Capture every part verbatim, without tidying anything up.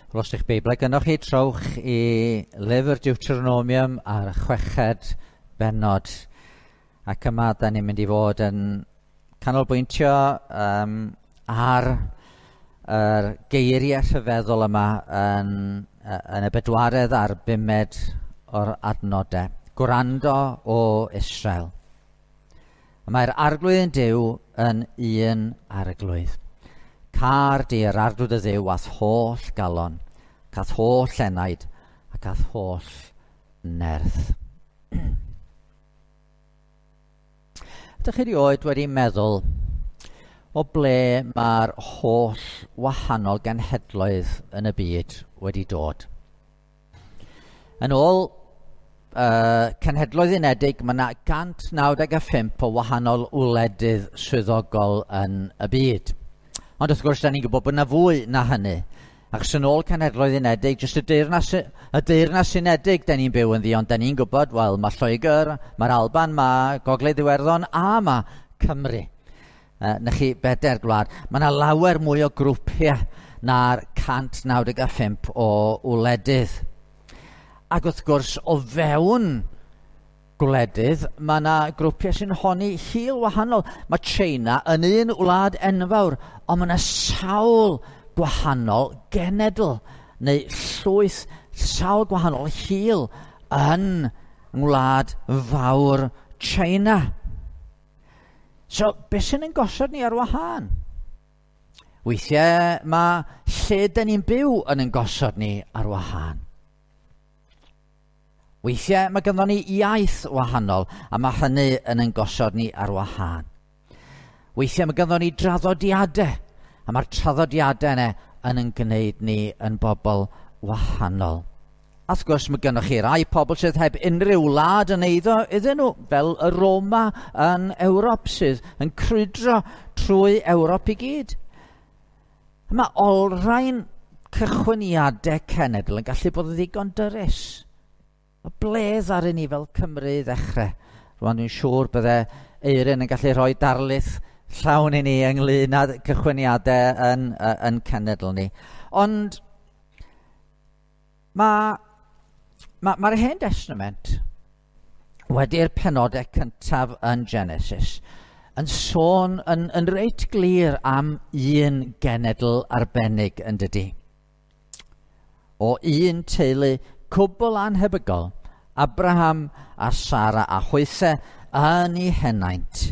Wel, os ydych Beiblau gynnwch chi, trowch i lyfr Deuteronomium a'r chweched bennod. Ac yma, da ni'n mynd i fod yn canolbwyntio um, ar yr geiriau rhyfeddol yma yn, yn y bedwaredd a'r bumed o'r adnodau. Gwrando o Israel. Mae'r arglwydd yn Duw yn un arglwydd. Car di yr arglwydd y Dduw a'th holl galon, ac a'th holl enaid, ac a'th holl nerth. Ydych chi erioed wedi meddwl o ble mae'r holl wahanol genhedloedd yn y byd wedi dod? Yn ôl uh, Cenhedloedd Unedig, mae yna cant naw deg pump o wahanol wledydd swyddogol yn y byd. Ond wrth gwrs, da ni'n gwybod bod yna fwy na hynny. Achos yn ôl Cenhedloedd Unedig, jyst y Deyrnas, y Deyrnas Unedig da ni'n byw ynddi, ond da ni'n gwybod, wel, mae Lloegr, mae'r Alban, mae Gogledd Iwerddon a mae Cymru. Uh, na chi bedair gwlad. Mae yna lawer mwy o grwpiau na'r cant naw deg pump o wledydd. Ac wrth gwrs, o fewn gwledydd, mae yna grwpiau sy'n honni hil wahanol. Mae China yn un wlad enfawr, ond mae yna sawl gwahanol genedl neu llwyth, sawl gwahanol hil yn ngwlad fawr China. So, beth sy'n ein gosod ni ar wahân? Weithiau mae lle dyn ni'n byw yn ein gosod ni ar wahân. Weithiau mae ganddo ni iaith wahanol, a mae hynny yn ein gosod ni ar wahân. Weithiau mae ganddo ni draddodiadau, a mae'r traddodiadau yna yn ein gwneud ni yn bobl wahanol. A wrth gwrs mae gynnoch chi rai pobl sydd heb unrhyw wlad yn eiddo iddyn nhw, fel y Roma yn Ewrop sydd yn crwydro trwy Ewrop i gyd. A mae olrhain cychwyniadau cenedl yn gallu bod yn ddigon dyrys. O bledd ar ni fel Cymru i ddechrau. Rwan dwi'n siŵr bydde Eirin yn gallu rhoi darlith llawn i ni ynglyn â cychwyniadau yn, yn cenedl ni. Ond mae'r ma, ma Hen Testament wedi'r penodau cyntaf yn Genesis yn sôn yn, yn reit glir am un genedl arbennig yn dydi. O un teulu cwbl anhebygol, Abraham a Sara a hwythau yn ei henaint.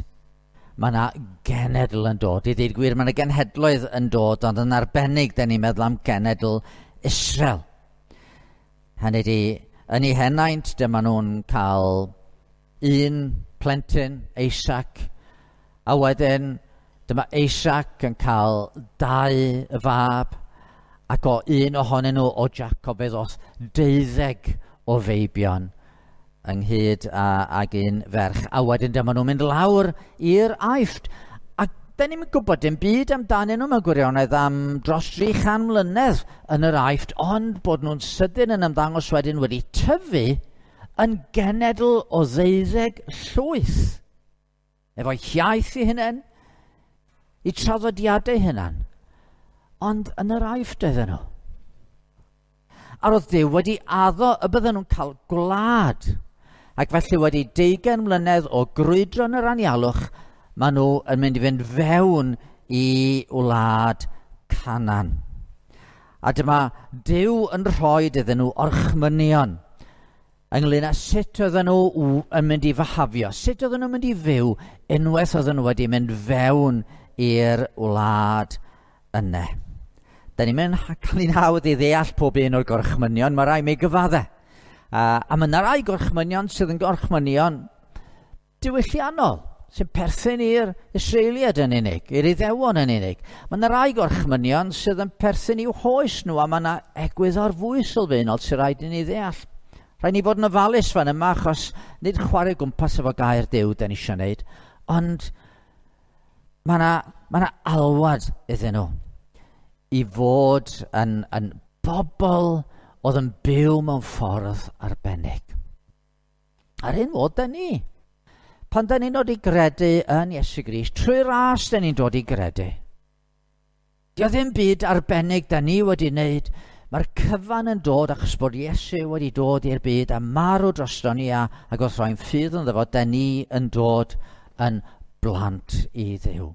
Mae yna genedl yn dod. I ddweud gwir, mae yna genhedloedd yn dod, ond yn arbennig, da ni'n meddwl am genedl Israel. Hynny ydi, yn ei henaint, dyma nhw'n cael un plentyn, Isaac, a wedyn dyma Isaac yn cael dau fab, ac o un ohonyn nhw, o Jacob, fe ddoth deuddeg o feibion ynghyd â, ag un ferch. A wedyn dyma nhw'n mynd lawr i'r Aifft. A da ni'n gwybod dim byd amdanyn nhw mewn gwirionedd am dros dri chan mlynedd yn yr Aifft, ond bod nhw'n sydyn yn ymddangos wedyn wedi tyfu yn genedl o ddeuddeg llwyth. Efo'i hiaith eu hunain, eu traddodiadau hunain. Ond yn yr Aifft oedden nhw. A roedd Duw wedi addo y bydden nhw'n cael gwlad. Ac felly wedi deugain mlynedd o grwydro yn yr anialwch, maen nhw yn mynd i fynd fewn i wlad Canaan. A dyma Duw yn rhoi iddyn nhw orchmynion ynglyn â sut oedden nhw yn mynd i fahafio, sut oedden nhw'n mynd i fyw unwaith oedden nhw wedi mynd fewn i'r wlad yna. Da ni'n mynd cael ein hawdd i ddeall pob un o'r gorchmynion, mae rai mi gyfadde. Uh, a mae yna rai gorchmynion sydd yn gorchmynion diwylliannol, sy'n perthyn i'r Israeliad yn unig, i'r Iddewon yn unig. Mae yna rai gorchmynion sydd yn perthyn i'w hoes nhw, a mae yna egwyddor fwy sylfaenol sy'n rhaid i ni ddeall. Rhaid ni fod yn ofalus fan yma, achos nid chwarae gwmpas efo gair Duw da ni eisiau wneud, ond mae yna, mae yna alwad iddyn nhw i fod yn, yn bobl oedd yn byw mewn ffordd arbennig. A'r un fod da ni. Pan da ni'n dod i gredu yn Iesu Grist, trwy ras da ni'n dod i gredu. Dio ddim byd arbennig da ni wedi wneud Mae'r cyfan yn dod achos bod Iesu wedi dod i'r byd a marw drosto ni a, ac wrth roi'n ffydd ynddo fo, da ni yn dod yn blant i Dduw.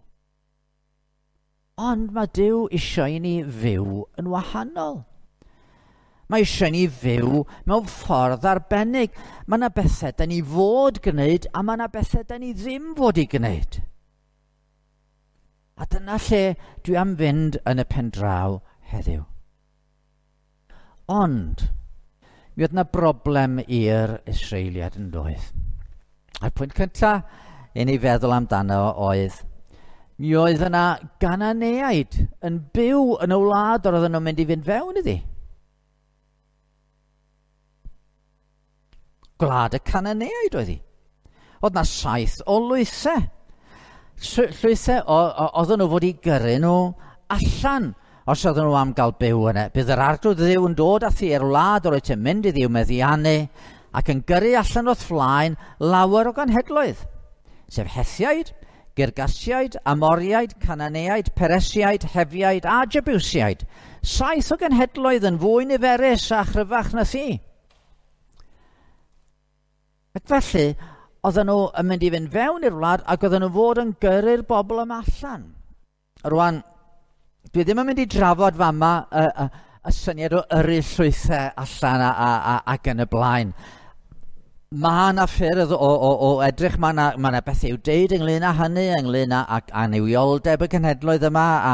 Ond mae Duw eisiau i ni fyw yn wahanol. Mae eisiau ni fyw mewn ffordd arbennig. Mae yna bethau da ni fod gwneud a mae yna bethau da ni ddim fod i gwneud. A dyna lle dwi am fynd yn y pen draw heddiw. Ond, mi oedd yna broblem i'r Israeliad yn doedd. A'r pwynt cyntaf i ni feddwl amdano oedd, mi oedd yna Gananeaid yn byw yn y wlad yr oedden nhw'n mynd i fynd fewn iddi. Gwlad y Cananeaid oedd hi. Oedd na saith o lwythau. Llwythau oedden nhw fod i gyrru nhw allan os oedden nhw am gael byw yna. Bydd yr arglwydd Dduw yn dod â thi i'r wlad yr wyt ti'n mynd iddi i'w meddiannu ac yn gyrru allan o'th flaen lawer o ganhedloedd, sef Hethiaid, Girgasiaid, Amoriaid, Cananeaid, Peresiaid, Hefiaid a Jebusiaid. Saith o genhedloedd yn fwy niferus a chryfach na thi. Ac felly, oedden nhw yn mynd i fynd fewn i'r wlad ac oedden nhw fod yn gyrru'r bobl yma allan. Rwan, dwi ddim yn mynd i drafod fama y, y, y syniad o yrru llwythau allan a, a, a, ac yn y blaen. Mae yna ffyrdd o, o, o edrych, mae yna, mae yna beth i'w deud ynglyn â hynny, ynglyn â ac annuwioldeb y cenhedloedd yma, a,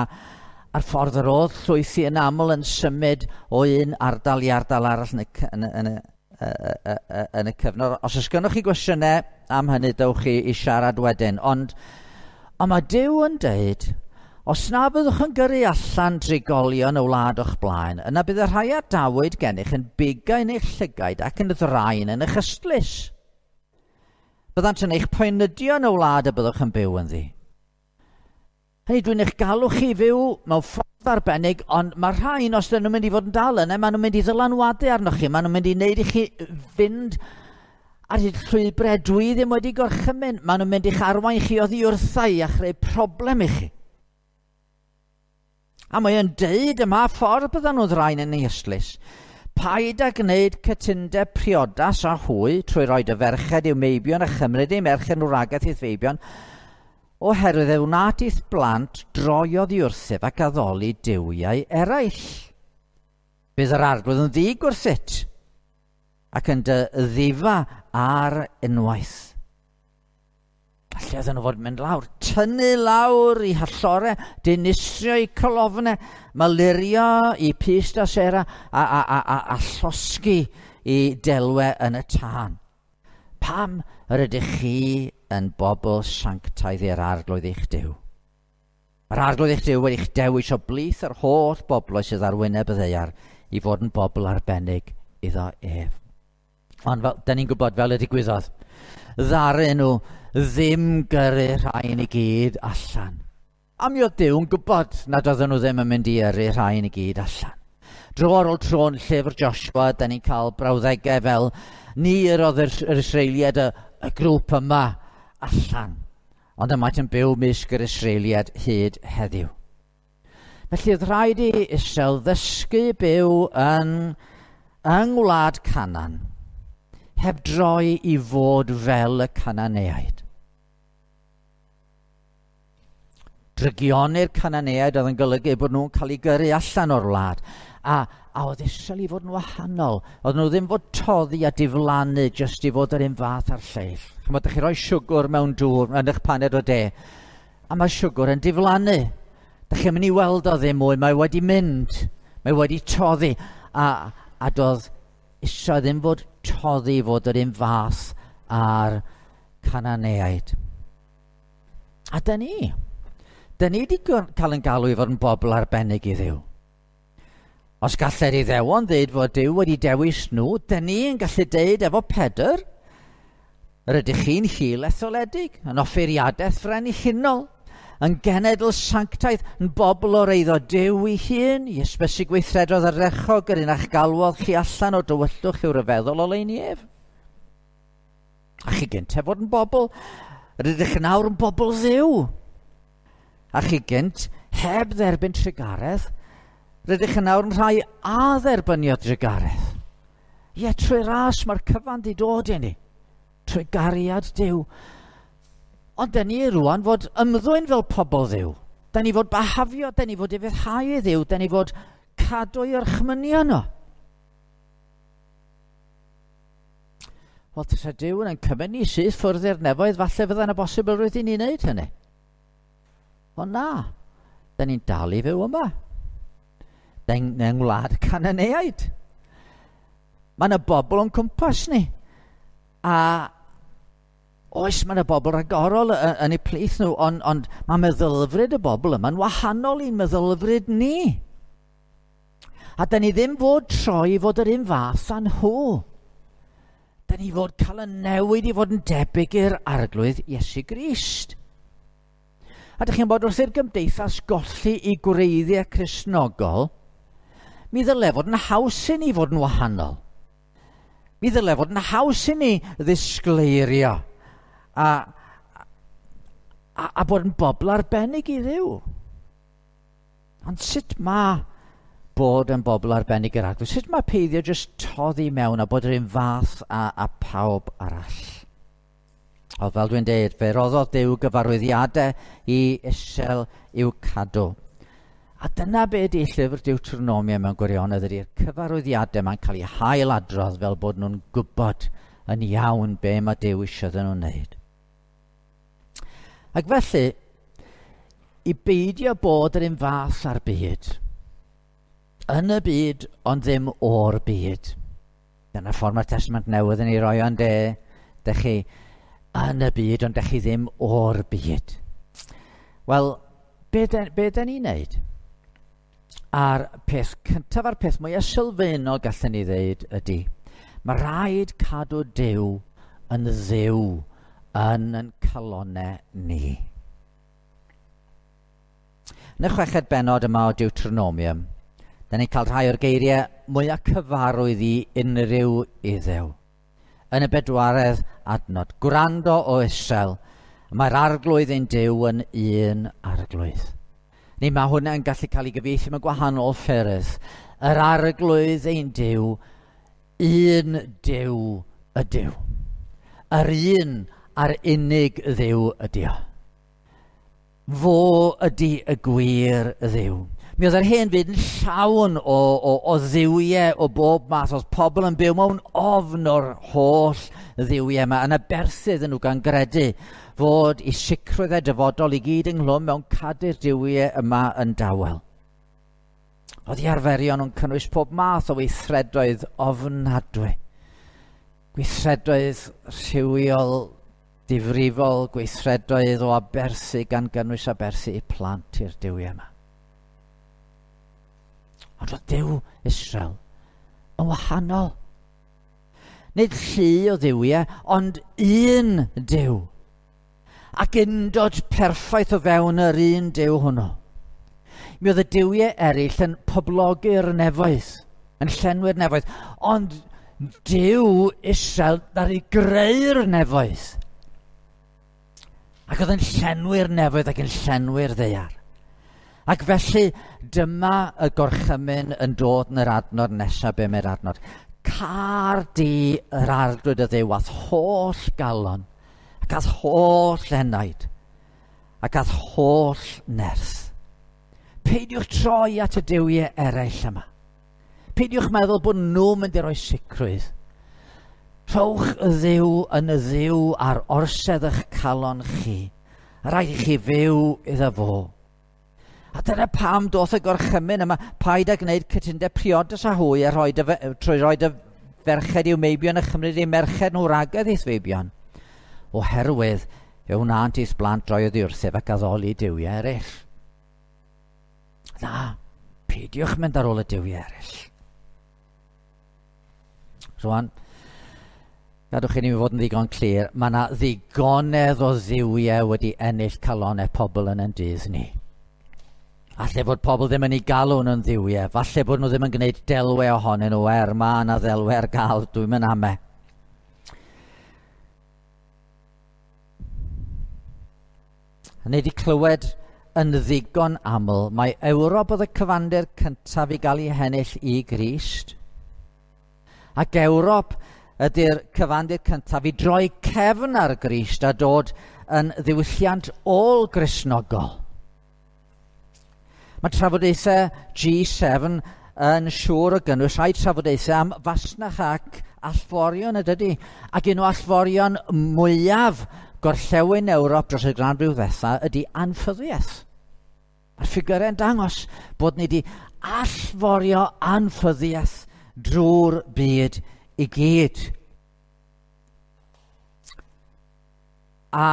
a'r ffordd yr oedd llwythi yn aml yn symud o un ardal i ardal arall yn y, yn y, yn y, yn y cyfnod. Os oes gennych chi gwestiynau am hynny, dewch chi i siarad wedyn. Ond, ond mae Duw yn deud, os na byddwch yn gyrru allan drigolion y wlad o'ch blaen, yna bydd y rhai a dawyd gennych yn bugain eich llygaid ac yn ddraen yn eich ystlys. Byddant yn eich poenydio yn y wlad y byddwch yn byw ynddi. Hynny, dwi'n eich galw chi fyw mewn ffordd arbennig, ond mae rhain, os dyn nhw'n mynd i fod yn dal yna, maen nhw'n mynd i ddylanwadu arnoch chi, maen nhw'n mynd i wneud i chi fynd ar hyd llwybrau dwi ddim wedi gorchymyn, maen nhw'n mynd i'ch arwain chi oddi wrtha i a chreu problem i chi. A mae yn deud yma ffordd byddan nhw'n ddraen yn ei ystlys. Paid â gwneud cytundeb priodas â hwy trwy roi dy ferched i'w meibion a chymryd eu merched nhw ragaeth i'th feibion, oherwydd e wnât i'th blant droi oddi wrthyf ac addoli duwiau eraill. Bydd yr arglwydd yn ddig wrthyt ac yn dy ddifa ar unwaith. Lle oedden nhw fod yn mynd lawr, tynnu lawr i hallore, dinistrio i colofnau, malurio i pyst a sera, a, a, a, a, a llosgi i delwe yn y tân. Pam yr ydych chi yn bobl sanctaidd i'r arglwydd eich Duw? Mae'r arglwydd eich Duw wedi'ch dewis o blith yr holl bobloedd sydd ar wyneb y ddaear i fod yn bobl arbennig iddo ef. Ond fel, da ni'n gwybod fel y digwyddodd, ddaru nhw ddim gyrru rhain i gyd allan. A mi oedd Duw yn gwybod nad oedden nhw ddim yn mynd i yrru rhain i gyd allan. Dro ar ôl tro yn llyfr Joshua, da ni'n cael brawddegau fel ni yr oedd yr, yr Israeliad, y, y grŵp yma allan. Ond y maent yn byw mysg yr Israeliad hyd heddiw. Felly oedd rhaid i Israel ddysgu byw yn, yng ngwlad Canaan, heb droi i fod fel y Cananeaid. Drygioni'r Cananeaid oedd yn golygu bod nhw'n cael eu gyrru allan o'r wlad. A, a oedd Israel i fod yn wahanol. Oedd nhw ddim fod toddi a diflannu jyst i fod yr un fath a'r lleill. Chymod, ydych chi roi siwgr mewn dŵr yn eich paned o de, a mae siwgr yn diflannu. Dych chi'n mynd i weld o ddim mwy, mae wedi mynd, mae wedi toddi. A, a doedd Israel ddim fod toddi fod yr un fath a'r Cananeaid. A da ni, da ni wedi cael yn galw i fod yn bobl arbennig i Dduw. Os gallai'r Iddewon ddeud fod Duw wedi dewis nhw, da ni'n gallu deud efo Pedr, yr ydych chi'n hil etholedig, yn offeiriadaeth frenhinol, yn genedl sanctaidd, yn bobl o'r eiddo Duw ei hun, i ysbysu gweithredodd ardderchog yr un a'ch galwodd chi allan o dywyllwch i'w ryfeddol oleuni ef. A chi gynt heb fod yn bobl, yr ydych yn awr yn bobl Dduw. A chi gynt heb dderbyn trugaredd, Rydych yn nawr yn rhai a dderbyniodd drugaredd. Ie, trwy ras mae'r cyfan di dod i ni. Trwy gariad Duw. Ond da ni rwan fod ymddwyn fel pobl Dduw. Da ni fod bahafio, da ni fod ufuddhau i Dduw, da ni fod cadw i orchmynion nhw. Wel, tasa Duw yn cymryd ni syth ffwrdd i'r nefoedd, falle fydda yna bosibilrwydd i ni wneud hynny. Ond na, da ni'n dal i fyw yma. Da ni'n yng ngwlad Cananeaid. Mae yna bobl o'n cwmpas ni. A oes, mae yna bobl ragorol yn eu plith nhw, ond, ond mae meddylfryd y bobl yma'n wahanol i'n meddylfryd ni. A da ni ddim fod troi i fod yr un fath â nhw. Da ni fod cael y newid i fod yn debyg i'r Arglwydd Iesu Grist. A dych chi'n bod wrth i'r gymdeithas golli i gwreiddiau Cristnogol, mi ddyle fod yn haws i ni fod yn wahanol. Mi ddyle fod yn haws i ni ddisgleirio a, a, a bod yn bobl arbennig i Dduw. Ond sut mae bod yn bobl arbennig i'r Arglwydd? Sut mae peidio jyst toddi mewn a bod yr un fath a, a pawb arall? O, fel dwi'n deud, fe roddodd Duw gyfarwyddiadau i Israel i'w cadw. A dyna be ydy llyfr Deuteronomia mewn gwirionedd, ydy'r cyfarwyddiadau mae'n cael eu hailadrodd fel bod nhw'n gwybod yn iawn be mae Duw eisiau iddyn nhw'n wneud. Ac felly, i beidio bod yr un fath â'r byd, yn y byd, ond ddim o'r byd. Dyna ffordd mae'r Testament Newydd yn ei roi o'n de, dych chi yn y byd, ond dych chi ddim o'r byd. Wel, be da, be da ni'n neud? A'r peth cyntaf a'r peth mwyaf sylfaenol gallwn ni ddeud ydy, mae rhaid cadw Duw yn Dduw yn yn calonnau ni. Yn y chweched bennod yma o Deuteronomium, da ni'n cael rhai o'r geiriau mwyaf cyfarwydd i unrhyw Iddew. Yn y bedwaredd adnod, gwrando o Israel, mae'r Arglwydd ein Duw yn un Arglwydd. Neu mae hwnna yn gallu cael ei gyfieithu mewn gwahanol ffyrdd. Yr Arglwydd ein Duw, un Duw ydyw. Yr un a'r unig Dduw ydy o. Fo ydy y gwir Dduw. Mi oedd yr hen fyd yn llawn o, o, o dduwiau o bob math. Oedd pobl yn byw mewn ofn o'r holl dduwiau yma. Yn aberthu iddyn nhw gan gredu fod i sicrwydd eu dyfodol i gyd ynghlwm mewn cadw'r duwiau yma yn dawel. Oedd eu arferion nhw'n cynnwys pob math o weithredoedd ofnadwy. Gweithredoedd rhywiol difrifol, gweithredoedd o aberthu gan gynnwys aberthu i plant i'r duwiau yma. Ond oedd Duw Israel yn wahanol. Nid llu o dduwiau, ond un Duw. Ac undod perffaith o fewn yr un Duw hwnnw. Mi oedd y duwiau eraill yn poblogi'r nefoedd, yn llenwi'r nefoedd, ond Duw Israel ddaru greu'r nefoedd. Ac oedd yn llenwi'r nefoedd ac yn llenwi'r ddaear. Ac felly dyma y gorchymyn yn dod yn yr adnod nesaf, be mae'r adnod. Car di yr Arglwydd y Dduw a'th holl galon, ac a'th holl enaid, ac a'th holl nerth. Peidiwch troi at y duwiau eraill yma. Peidiwch meddwl bod nhw'n mynd i roi sicrwydd. Rhowch y Dduw yn y Dduw ar orsedd eich calon chi. Rhaid i chi fyw iddo fo. A dyna pam doth y gorchymyn yma, paid â gwneud cytundeb priodas â hwy a rhoi dy, trwy roi dy ferched i'w meibion a chymryd eu merched nhw ragedd i'th feibion. Oherwydd fe wnânt i'th blant droi oddi wrthyf ac addoli duwiau eraill. Na, peidiwch mynd ar ôl y duwiau eraill. Rwan, gadwch i ni fod yn ddigon clir, mae yna ddigonedd o dduwiau wedi ennill calonnau pobl yn ein dydd ni. Falle bod pobl ddim yn ei galw nhw'n dduwiau, falle bod nhw ddim yn gwneud delwau ohonyn nhw, er mae yna ddelwau ar gael, dwi'n mynd ame. A ni wedi clywed yn ddigon aml, mae Ewrop oedd y cyfandir cyntaf i gael ei hennill i Grist. Ac Ewrop ydy'r cyfandir cyntaf i droi cefn ar Grist a dod yn ddiwylliant ôl-Gristnogol. Mae trafodaethau G seven yn siŵr o gynnwys rhai trafodaethau am fasnach ac allforion ydydy. Ac un o allforion mwyaf gorllewin Ewrop dros y ganrif ddwetha ydy anffyddiaeth. Mae'r ffigurau'n dangos bod ni wedi allforio anffyddiaeth drwy'r byd i gyd. A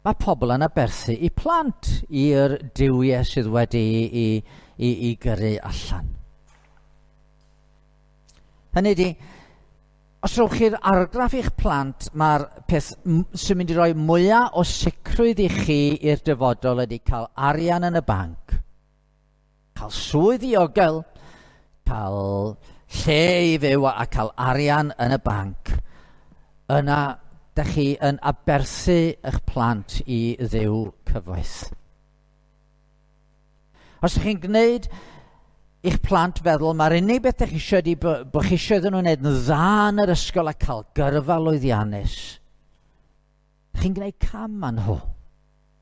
mae pobl yn aberthu i plant i'r duwiau sydd wedi i, i, i gyrru allan. Hynny ydy, os rhowch chi'r argraff i'ch plant, mae'r peth sy'n mynd i roi mwyaf o sicrwydd i chi i'r dyfodol ydy cael arian yn y banc, cael swydd ddiogel, cael lle i fyw a cael arian yn y banc. Yna, dych chi yn aberthu eich plant i Dduw cyfoeth. Os ydych chi'n gwneud i'ch plant feddwl, mae'r unig beth ydych chi eisiau ydy bod chi eisiau iddyn nhw wneud yn dda yn yr ysgol a cael gyrfa lwyddiannus. Chi'n gwneud cam â nhw.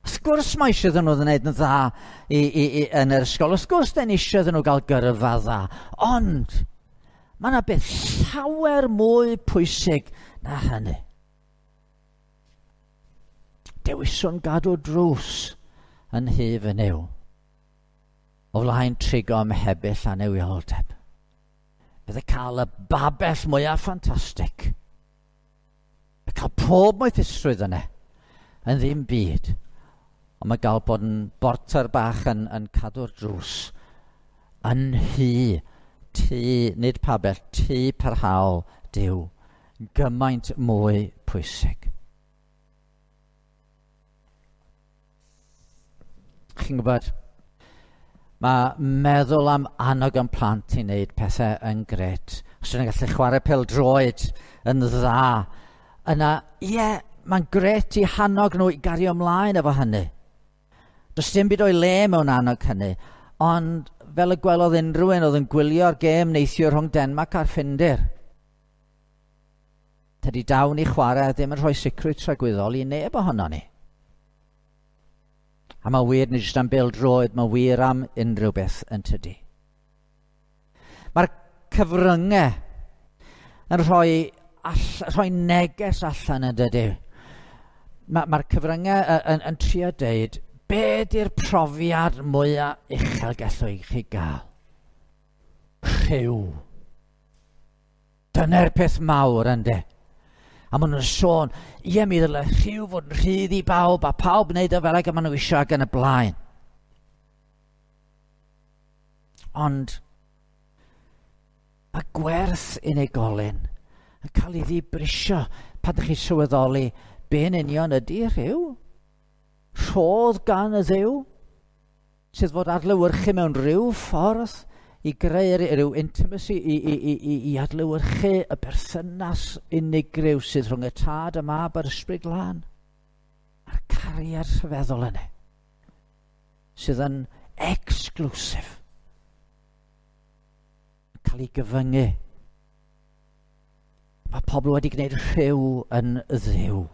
Wrth gwrs mae eisiau iddyn nhw wneud yn dda i, i, i, yn yr ysgol. Wrth gwrs dyn ni eisiau iddyn nhw gael gyrfa dda. Ond mae yna beth llawer mwy pwysig na hynny. Dewiswn gadw drws yn nhŷ fy Nuw, o flaen trigo ym mhebyll a newioldeb. Bydde cael y babell mwyaf ffantastig, y cael pob moethusrwydd yna, yn ddim byd, ond mae gael bod yn borter bach yn, yn cadw'r drws yn nhŷ, tŷ, nid pabell, tŷ parhaol Duw, gymaint mwy pwysig. Chi'n gwybod, mae meddwl am annog yn plant i wneud pethau yn gret. Os ydyn nhw'n gallu chwarae pêl-droed yn dda, yna, ie, yeah, mae'n gret i hannog nhw i gario ymlaen efo hynny. Does dim byd o'i le mewn annog hynny, ond fel y gwelodd unrhyw un oedd yn gwylio'r gêm neithiwr rhwng Denmark a'r Ffindir. Tydi dawn i chwarae ddim yn rhoi sicrwydd tragwyddol i neb ohono ni. A mae wir nid jyst am bêl-droed, mae wir am unrhyw beth yn tydi. Mae'r cyfryngau yn rhoi, all, rhoi neges allan yn dydy. Mae'r ma cyfryngau yn, yn, yn trio deud, be di'r profiad mwyaf uchel gallwch chi gael? Rhyw. Dyna'r peth mawr ynddo. A maen nhw'n sôn, ie, mi ddyle rhyw fod yn rhydd i bawb, a pawb wneud o fel ag y maen nhw eisiau ac yn y blaen. Ond mae gwerth unigolyn yn cael ei ddibrisio pan ydych chi'n sylweddoli be'n union ydy rhyw. Rhodd gan y Dduw sydd fod adlewyrchu mewn rhyw ffordd i greu rhyw intimacy, i, i, i, i, i adlewyrchu y berthynas unigryw sydd rhwng y Tad, y Mab a'r Ysbryd Glân. A'r cariad rhyfeddol yna, sydd yn exclusive, yn cael ei gyfyngu. Mae pobl wedi gwneud rhyw yn Dduw.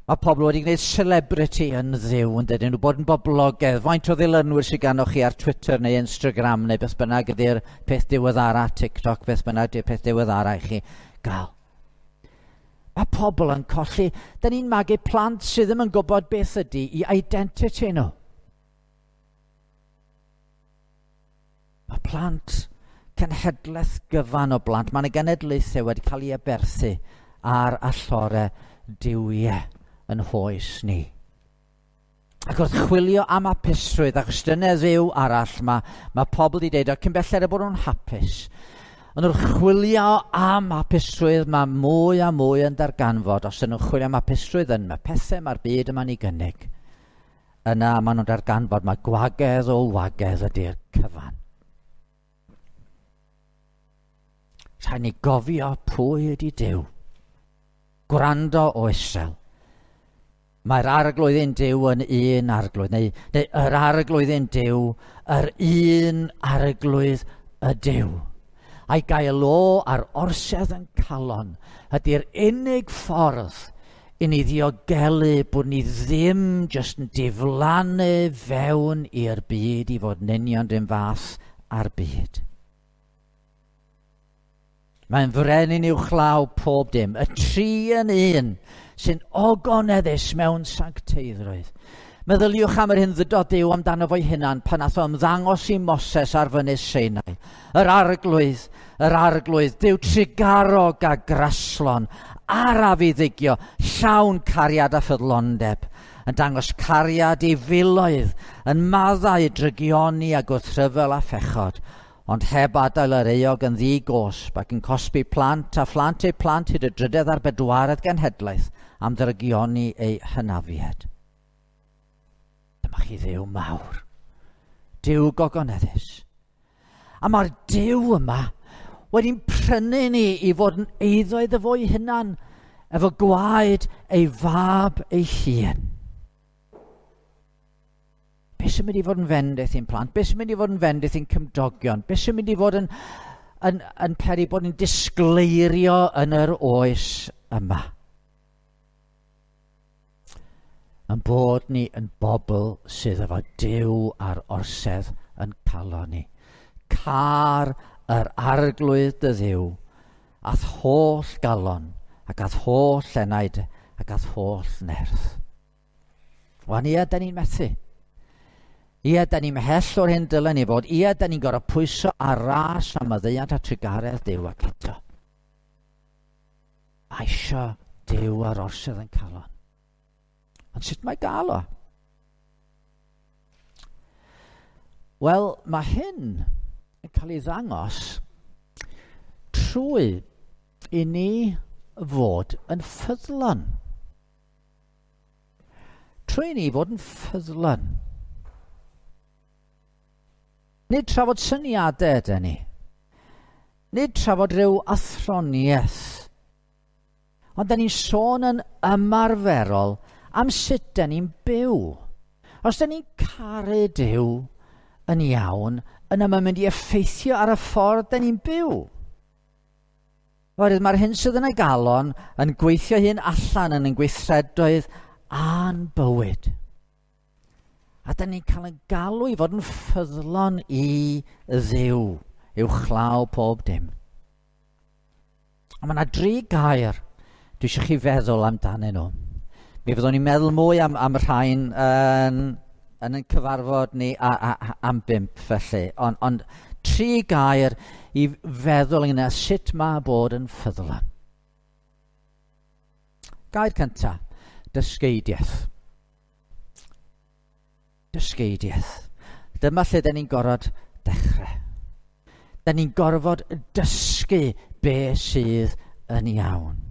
Mae pobl wedi gwneud celebrity yn Dduw, yn dydyn nhw bod yn boblogaidd. Faint o ddilynwyr sydd ganoch chi ar Twitter neu Instagram neu beth bynnag ydy'r peth diweddara, TikTok, beth bynnag ydy'r peth diweddara i chi gael. Mae pobl yn colli. Da ni'n magu plant sydd ddim yn gwybod beth ydy i identity nhw. Mae plant, cenhedlaeth gyfan o blant, mae yna genedlaethau wedi cael ei aberthu ar allorau duwiau yn hoes ni. Ac wrth chwilio am hapusrwydd, achos dyna dduw arall, mae, mae pobl wedi deud, o cyn belled y bod nhw'n hapus. Ond wrth chwilio am hapusrwydd, mae mwy a mwy yn darganfod. Os ydyn nhw'n chwilio am hapusrwydd yn mae pethau mae'r byd yma'n ei gynnig, yna maen nhw'n darganfod mae gwagedd o wagedd ydy'r cyfan. Rhaid ni gofio pwy ydy Duw. Gwrando o Israel. Mae'r arglwydd ein Duw yn un arglwydd, neu, neu yr arglwydd ein Duw, yr un arglwydd y Duw. A'i gael o ar orsedd yn calon ydy'r unig ffordd i ni ddiogelu bod ni ddim jyst yn diflannu fewn i'r byd i fod yn union run fath â'r byd. Mae'n frenin uwchlaw pob dim, y tri yn un sy'n ogoneddus mewn sancteiddrwydd. Meddyliwch am yr hyn ddydodd Duw amdano fo'i hunan pan nath o ymddangos i Moses ar fynydd Sinai. Yr arglwydd, yr arglwydd, Duw trugarog a graslon, araf i ddigio, llawn cariad a ffyddlondeb, yn dangos cariad i filoedd, yn maddau drygioni a gwrthryfel a phechod, ond heb adael yr euog yn ddi-gosb ac yn cosbi plant a phlant eu plant hyd y drydedd a'r bedwaredd genhedlaeth am ddrygioni eu hynafiad. Dyma chi Dduw mawr, Duw gogoneddus. A mae'r Duw yma wedi'n prynu ni i fod yn eiddo iddo fo'i hunan, efo gwaed ei fab ei hun. Be sy'n mynd i fod yn fendith i'n plant? Be sy'n mynd i fod yn fendith i'n cymdogion? Be sy'n mynd i fod yn, yn, yn peri bod yn disgleirio yn yr oes yma? Yn bod ni yn bobl sydd efo Duw ar orsedd yn calon ni. Car yr arglwydd dy Dduw, a'th holl galon, ac a'th holl enaid, ac a'th holl nerth. Wan ia, da ni'n methu. Ia, da ni'n mhell o'r hyn dylen ni fod. Ia, da ni'n gorfod pwyso ar ras am maddeuant a trugaredd Duw ac eto. Mae isio Duw ar orsedd yn calon. Ond sut mae gael o? Wel, mae hyn yn cael ei ddangos trwy i ni fod yn ffyddlon. Trwy i ni fod yn ffyddlon. Nid trafod syniadau ydyn ni. Nid trafod rhyw athroniaeth. Ond dyn ni'n sôn yn ymarferol am sut dyn ni'n byw. Os dyn ni'n caru Duw yn iawn, yna mae'n mynd i effeithio ar y ffordd dyn ni'n byw. Oherwydd mae'r hyn sydd yn y galon yn gweithio hyn allan yn ein gweithredoedd a'n bywyd. A dyn ni'n cael ein galw i fod yn ffyddlon i Dduw, uwchlaw pob dim. A mae yna dri gair dwi eisiau chi feddwl amdanyn nhw. Mi fyddwn ni'n meddwl mwy am, am rhain yn, yn ein cyfarfod ni a, a, a, am bump felly. Ond, ond tri gair i feddwl ynglyn â sut mae bod yn ffyddlon. Gair cyntaf, dysgeidiaeth. Dysgeidiaeth. Dyma lle da ni'n gorfod dechrau. Da ni'n gorfod dysgu be sydd yn iawn.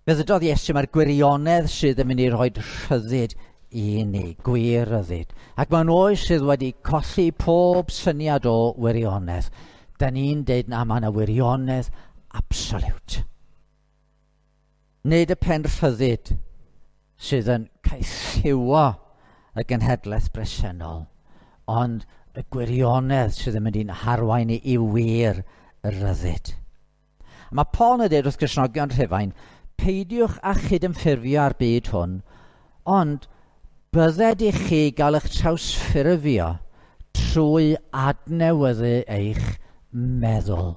Fe ddydodd Iesu mae'r gwirionedd sydd yn mynd i roi rhyddid i ni, gwir ryddid. Ac mewn oes sydd wedi colli pob syniad o wirionedd, da ni'n deud na mae yna wirionedd absoliwt. Nid y pen rhyddid sydd yn caethiwo y genhedlaeth bresennol, ond y gwirionedd sydd yn mynd i'n harwain ni i wir y rhyddid. A mae Paul yn dweud wrth Gristnogion Rhufain, peidiwch â chydymffurfio â'r byd hwn, ond bydded i chi gael eich trawsffurfio trwy adnewyddu eich meddwl.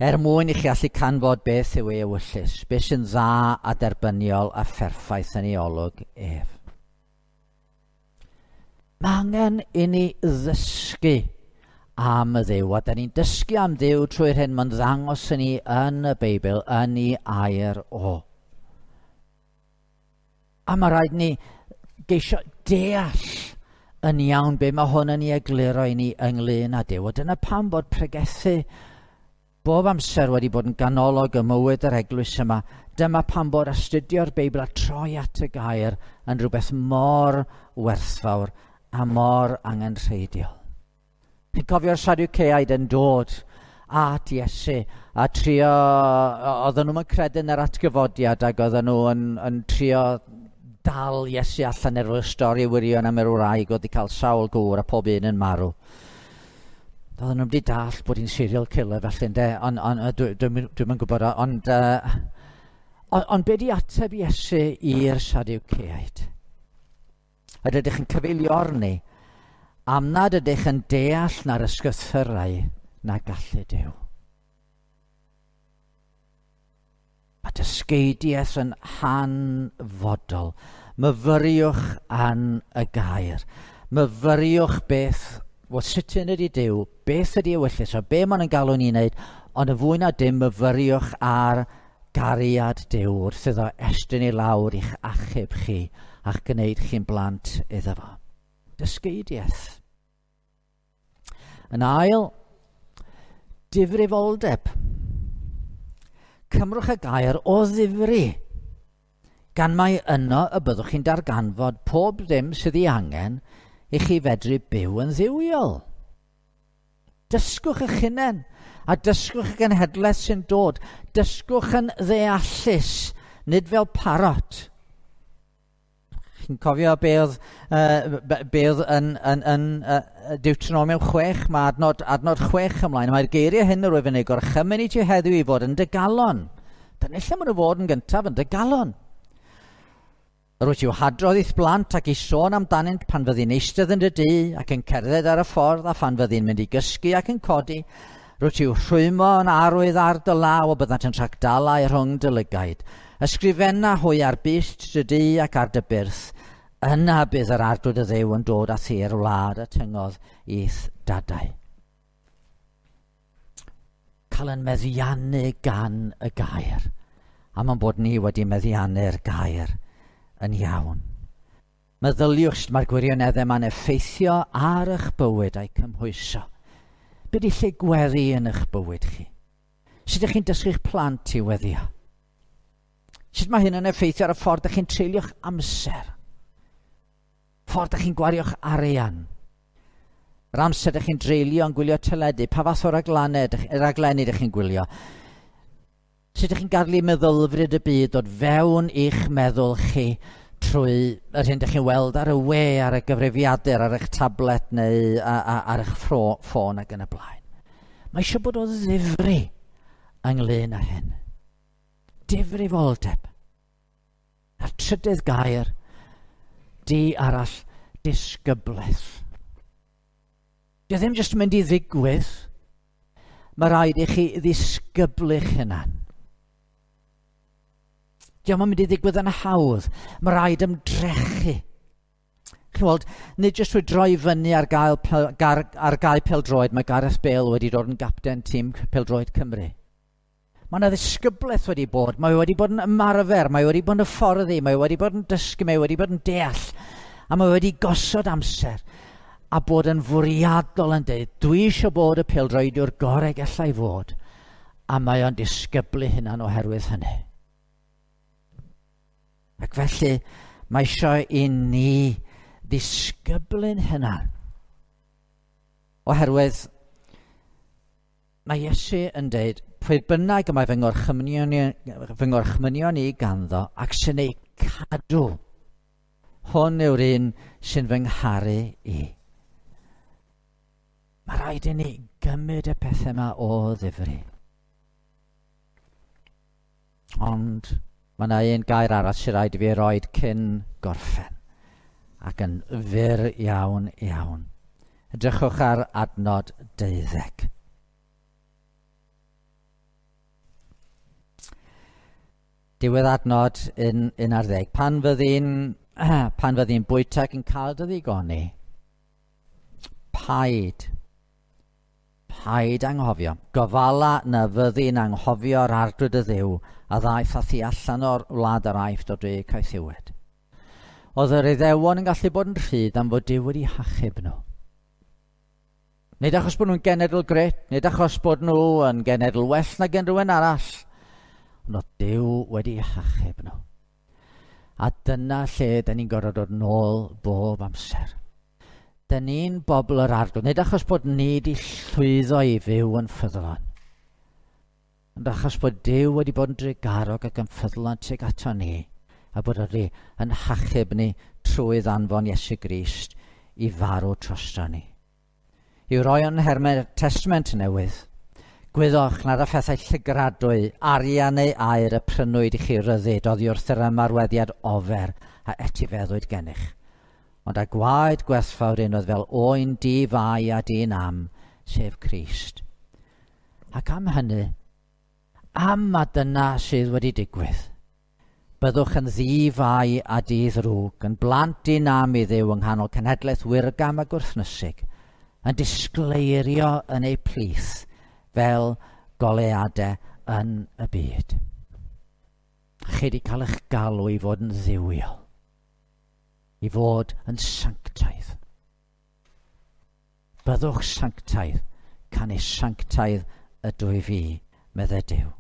Er mwyn i chi allu canfod beth yw ei ewyllys, beth sy'n dda a derbyniol a pherffaith yn ei olwg ef. Mae angen i ni ddysgu am y Dduw, a da ni'n dysgu am Dduw trwy'r hyn mae'n ddangos i ni yn y Beibl, yn ei air o. A mae rhaid ni geisio deall yn iawn be mae hwn yn ei egluro i ni ynglyn â Duw. A dyna pam bod pregethu bob amser wedi bod yn ganolog ym mywyd yr eglwys yma. Dyma pam bod astudio'r Beibl a troi at y gair yn rhywbeth mor werthfawr a mor angenrheidiol. Chi'n cofio'r Sadwceaid yn dod at Iesu a trio, oedden nhw'n credu yn yr atgyfodiad ac oedden nhw yn, yn trio dal Iesu allan efo'r stori wirion am yr wraig oedd wedi cael sawl gŵr a pob un yn marw. Oedden nhw'n wedi dall bod hi'n serial killer felly, ynde, ond on, dwi'n dwi, dwi yn gwybod, ond, uh, ond, on be di ateb Iesu i'r Sadwceaid? Ydych ydych yn cyfeiliorni am nad ydych yn deall na'r ysgrythurau na gallu Duw. Mae dysgeidiaeth yn hanfodol. Myfyriwch an y gair. Myfyriwch beth, wel, sut yn ydy Duw, beth ydy ewyllys, a be maen nhw'n galw ni'n wneud, ond yn fwy na dim myfyriwch ar gariad Duw wrth iddo estyn i lawr i'ch achub chi a'ch gwneud chi'n blant iddo fo. Dysgeidiaeth. Yn ail, difrifoldeb. Cymrwch y gair o ddifri, gan mai yno y byddwch chi'n darganfod pob ddim sydd ei angen i chi fedru byw yn dduwiol. Dysgwch eich hunain, a dysgwch y genhedlaeth sy'n dod. Dysgwch yn ddeallus, nid fel parot. Chi'n cofio be oedd, uh, be oedd yn, yn, yn uh, Deuteronomium chwech, mae adnod, adnod chwech ymlaen. Mae'r geiriau hyn yr wyf yn ei gorchymyn i ti heddiw i fod yn dy galon. Dyna lle maen nhw fod yn gyntaf, yn dy galon. Yr wyt i'w hadrodd i'th blant ac i sôn amdanynt pan fyddi'n eistedd yn dy dŷ ac yn cerdded ar y ffordd a phan fyddi'n mynd i gysgu ac yn codi. Rwyt i'w rhwymo yn arwydd ar dy law a byddant yn rhagdalau rhwng dy lygaid. Ysgrifenna hwy ar byst dy dŷ ac ar dy byrth. Yna bydd yr arglwydd y Dduw yn dod â thi i'r wlad y tyngodd i'th dadau. Cael yn meddiannu gan y gair. A mae'n bod ni wedi meddiannu'r gair yn iawn. Meddyliwch sut mae'r gwirioneddau yma'n effeithio ar eich bywyd a'i cymhwyso. Be di lle gweddi yn eich bywyd chi? Sut ydych chi'n dysgu'ch plant i weddio? Sut mae hyn yn effeithio ar y ffordd ydych chi'n treulio'ch amser? Ffordd ydych chi'n gwario'ch arian? Yr amser ydych chi'n dreulio yn gwylio teledu, pa fath o raglenni ydych chi'n gwylio? Sut ydych chi'n gadw meddylfryd y byd dod fewn i'ch meddwl chi trwy yr hyn ydych chi'n weld ar y we, ar y gyfrifiadur, ar eich tablet neu ar eich ffôn ac yn y blaen. Mae eisiau bod o ddifri ynglyn â hyn. Difrifoldeb. A'r trydydd gair, di arall, disgyblaeth. Dio ddim jyst yn mynd i ddigwydd. Mae rhaid i chi ddisgyblu'ch hunan. Dio'm yn mynd i ddigwydd yn hawdd. Mae rhaid ymdrechu. Chi'n weld, nid jyst trwy droi fyny ar gael, ar, ar gael pêl-droed, mae Gareth Bale wedi dod yn gapten tîm pêl-droed Cymru. Mae yna ddisgyblaeth wedi bod, mae wedi bod yn ymarfer, mae wedi bod yn hyfforddi, mae wedi bod yn dysgu, mae wedi bod yn deall, a mae wedi gosod amser a bod yn fwriadol yn dweud, dwi eisiau bod y pêl-droediwr gorau gallai fod, a mae o'n disgyblu hunan oherwydd hynny. Ac felly, mae eisiau i ni ddisgyblu'n hunan. Oherwydd, mae Iesu yn dweud, pwy bynnag y mae fy ngorchmynion, fy ngorchmynion i ganddo ac sy'n ei cadw, hwn yw'r un sy'n fy ngharu i. Mae rhaid i ni gymryd y pethau yma o ddifri. Ond mae yna un gair arall sy'n rhaid i fi roed cyn gorffen, ac yn fyr iawn iawn. Edrychwch ar adnod deuddeg. Diwedd adnod un, un ar ddeg. Pan fyddi'n pan fyddi'n bwyta ac yn cael dy ddigoni, paid, paid anghofio. Gofala na fyddi'n anghofio'r arglwydd y Dduw a ddaeth â thi allan o'r wlad yr Aifft o dre caethiwed. Oedd yr Iddewon yn gallu bod yn rhydd am fod Duw wedi hachub nhw. Nid achos bod nhw'n genedl gret, nid achos bod nhw yn genedl well nag unrhyw un arall, ond oedd Duw wedi hachub nhw. A dyna lle dyn ni'n gorfod dod nôl bob amser. Dyn ni'n bobl yr arglwydd, nid achos bod ni wedi llwyddo i fyw yn ffyddlon, Ond achos bod Duw wedi bod yn drugarog ac yn ffyddlon tuag ato ni, a bod wedi yn hachub ni trwy ddanfon Iesu Grist i farw drosto ni. I'w roi yn nhermau Testament Newydd, gwyddoch nad â phethau llygradwy, arian neu aur y prynwyd i chi ryddid oddi wrth yr ymarweddiad ofer a etifeddwyd gennych, ond â gwaed gwerthfawr un oedd fel oen di-fai a di-nam, sef Crist. Ac am hynny, am ma dyna sydd wedi digwydd, byddwch yn ddi-fai a di-ddrwg, yn blant di-nam i Dduw yng nghanol cenhedlaeth wirgam a gwrthnysig, yn disgleirio yn eu plith fel goleuadau yn y byd. Chi wedi cael eich galw i fod yn dduwiol, i fod yn sanctaidd. Byddwch sanctaidd, canys sanctaidd ydw i fi, meddai Duw.